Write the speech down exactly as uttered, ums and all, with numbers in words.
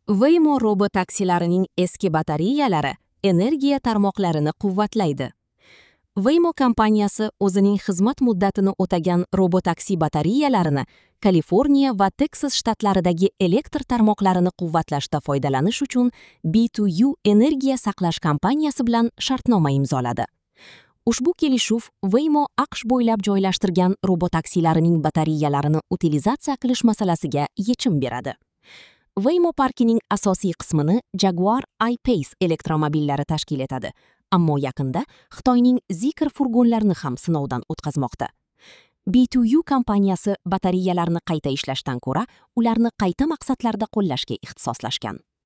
Waymo robotaksilarining eski batareyalari energiya tarmoqlarini quvvatlaydi. Waymo kompaniyasi o'zining xizmat muddatini o'tagan robotaksi batareyalarini Kaliforniya va Teksas shtatlaridagi elektr tarmoqlarini quvvatlashda foydalanish uchun B two U energiya saqlash kompaniyasi bilan shartnoma imzoladi. Ushbu kelishuv Waymo A Q Sh bo'ylab joylashtirgan robotaksilarining batareyalarini utilizatsiya qilish masalasiga yechim beradi. Waymo parkining asosiy qismini Jaguar I-Pace elektromobillari tashkil etadi, ammo yaqinda Xitoyning Zeekr furgonlarini ham sinovdan o'tkazmoqda. B two U kompaniyasi batareyalarni qayta ishlashdan ko'ra, ularni qayta maqsadlarda qo'llashga ixtisoslashgan.